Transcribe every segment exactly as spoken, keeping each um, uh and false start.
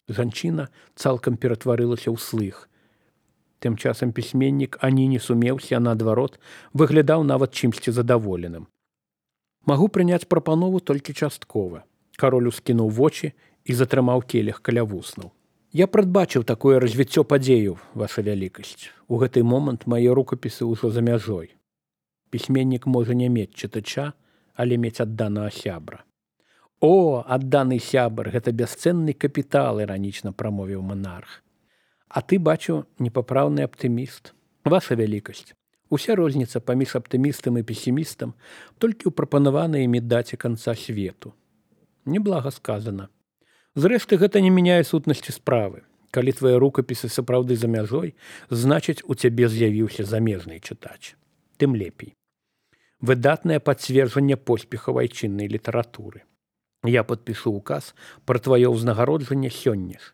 Жанчына цалкам ператварылася ў слых. Тым часам пісьменнік ані не сумеўся, а наадварот, выглядаў нават чымсьці задаволеным. Магу прыняць прапанову толькі часткова. Кароль ускінуў вочы і затрымаў келіх каля вуснаў. Я прадбачыў такое развіццё падзеяў, ваша вялікасць. У гэты момант мае рукапісы ўжо за мяжой. Пісьменнік можа не мець чытача, але мець адданага сябра. О, адданы сябар, гэта бясцэнны капітал, іранічна прамовіў манарх. А ты, бачу, непапраўны аптыміст. Ваша вялікасць. Уся розніца паміж аптымістам і песімістам толькі ў прапанаванай імі даце канца свету. Неблага сказана. Зрэшты, гэта не мяняе сутнасці справы. Калі твае рукапісы сапраўды за мяжой, значыць, у цябе з'явіўся замежны чытач. Тым лепей. Выдатнае пацверджанне поспехаў айчыннай літаратуры. Я падпішу указ пра тваё ўзнагароджанне сёння ж.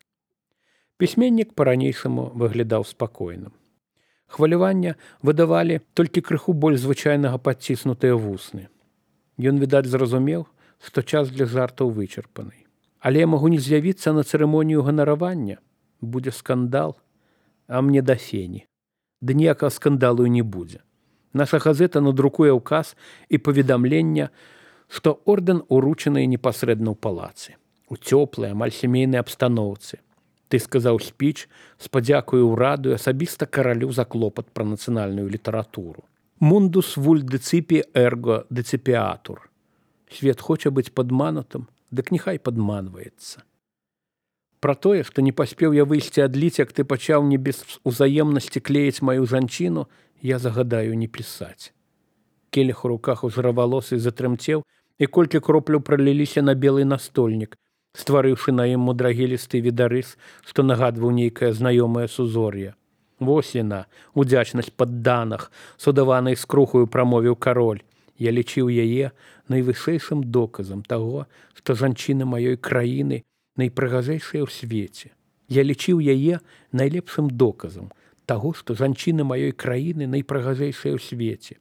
Пісьменнік па-ранейшаму выглядаў спакойным. Хвалявання выдавалі толькі крыху больш звычайнага падціснутыя вусны. Ён, відаць, зразумеў, што час для жартаў вычарпаны. Але я магу не з'явіцца на цырымонію ганаравання. Будзе скандал, а мне да фені. Ды ніякага скандалу і не будзе. Наша газета надрукуе ўказ і паведамлення, што ордэн уручаны непасрэдна ў палацы, у цёплай, амаль сямейнай абстаноўцы. Ты сказаў спіч, спадзякую ўраду і асабіста каралю за клопат пра нацыянальную літаратуру. Мундус вуль деципі эрго деципіатур. Свет хоча быць падманутым, дык няхай падманваецца. Пра тое, што не паспеў я выйсці адліць, як ты пачаў не без узаемнасці клеіць маю жанчыну, я загадаю не пісаць. Келіх у руках у жыравалосы затрымцеў, і колькі кропляў праліліся на белы настольнік, стварыўшы на ім мудрагелісты відарыс, што нагадваў нейкае знаёмае сузор'е. Вось яна, удзячнасць падданых, судаванай скрухаю прамовіў кароль. Я лічыў яе найвышэйшым доказам таго, што жанчыны маёй краіны найпрыгажэйшыя ў свеце. Я лічыў яе найлепшым доказам таго, што жанчыны маёй краіны найпрыгажэйшыя ў свеце.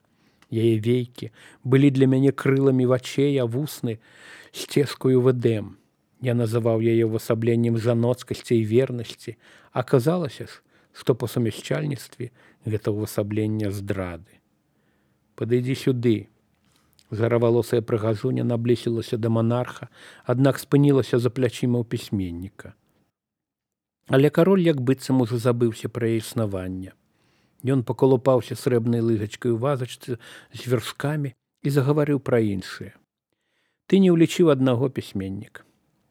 Яе вейкі былі для мяне крыламі вачэй, а вусны сцежкаю в эдэм. Я называў яе ўвасабленнем жаноцкасці і вернасці, а аказалася ж, што па сумяшчальніцтве гэта ўвасабленне здрады. Падыдзі сюды. Жаравалосая прыгажуня наблісілася да манарха, аднак спынілася за плячыма ў пісьменніка. Але кароль як быццам ужо забыўся пра яе існаванне. Ён паколупаўся срэбнай лыжачкай у вазачцы з вяршкамі і загаварыў пра іншае. Ты не ўлічыў аднаго, пісьменнік.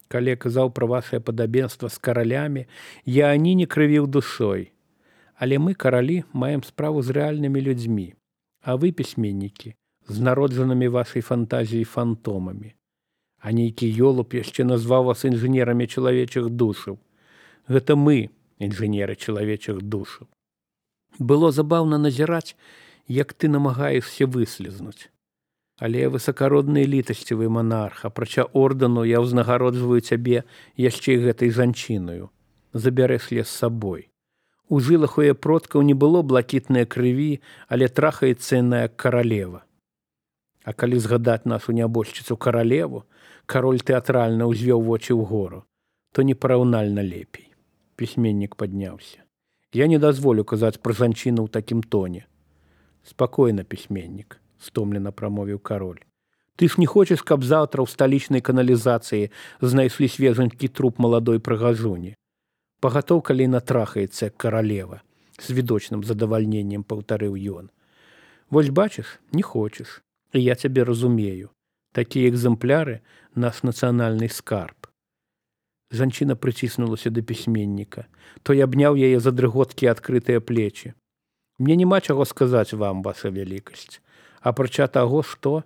Калі я казаў пра вашае падабенства з каралямі, я ані не крывіў душой. Але мы, каралі, маем справу з рэальнымі людзьмі, а вы, пісьменнікі, з народжанымі вашай фантазіяй фантомамі. А нейкі ёлуб яшчэ назваў вас інжынерамі чалавечых душаў. Гэта мы, інжынеры чалавечых душаў. Было забаўна назіраць, як ты намагаешся выслізнуць. Але высакародны літасцівы манарх, апрача ордэну я ўзнагароджваю цябе яшчэ і гэтай жанчынаю. Забярэш лес з сабой. У жылах у яе продкаў не было блакітнай крыві, але трахаецца яна як каралева. А калі згадаць нашу нябожчыцу каралеву, кароль тэатральна ўзвёў вочы ўгору, то непараўнальна лепей. Пісьменнік падняўся. Я не дазволю казаць пра жанчыну ў такім тоне. Спакойна, пісьменнік, стомлена прамовіў кароль. Ты ж не хочаш, каб заўтра ў сталічнай каналізацыі знайшлі свежанькі труп маладой прыгажуні. Пагатоў, калі натрахаецца як каралева, з відочным задавальненнем паўтарыў ён. Вось бачыш, не хочаш, і я цябе разумею. Такія экзэмпляры – наш нацыянальны скарб. Жанчына прыціснулася да пісьменніка. Той абняў яе за дрыготкі адкрытыя плечі. Мне няма чаго сказаць вам, ваша вялікасць. Апрача таго, што...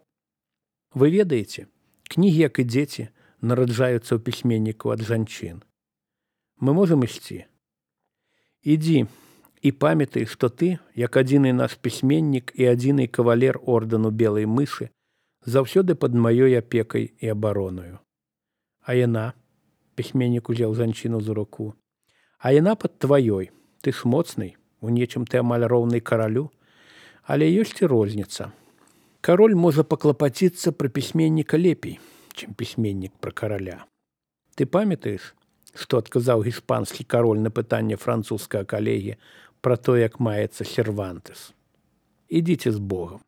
Вы ведаеце, кнігі, як і дзеці, нараджаюцца ў пісьменніку ад жанчын. Мы можам ісці? Ідзі і памятай, што ты, як адзіны наш пісьменнік і адзіны кавалер ордэну белай мышы, заўсёды пад маёй апекай і абаронаю. А яна, пісьменнік узяў жанчыну за руку, а яна пад тваёй. Ты ж моцны, у нечым ты амаль роўны каралю, але ёсць і розніца. Кароль можа паклапаціцца пра пісьменніка лепей, чым пісьменнік пра караля. Ты памятаеш, што адказаў іспанскі кароль на пытанне французскага калегі пра то, як маецца Сервантес. Ідзіце з Богам.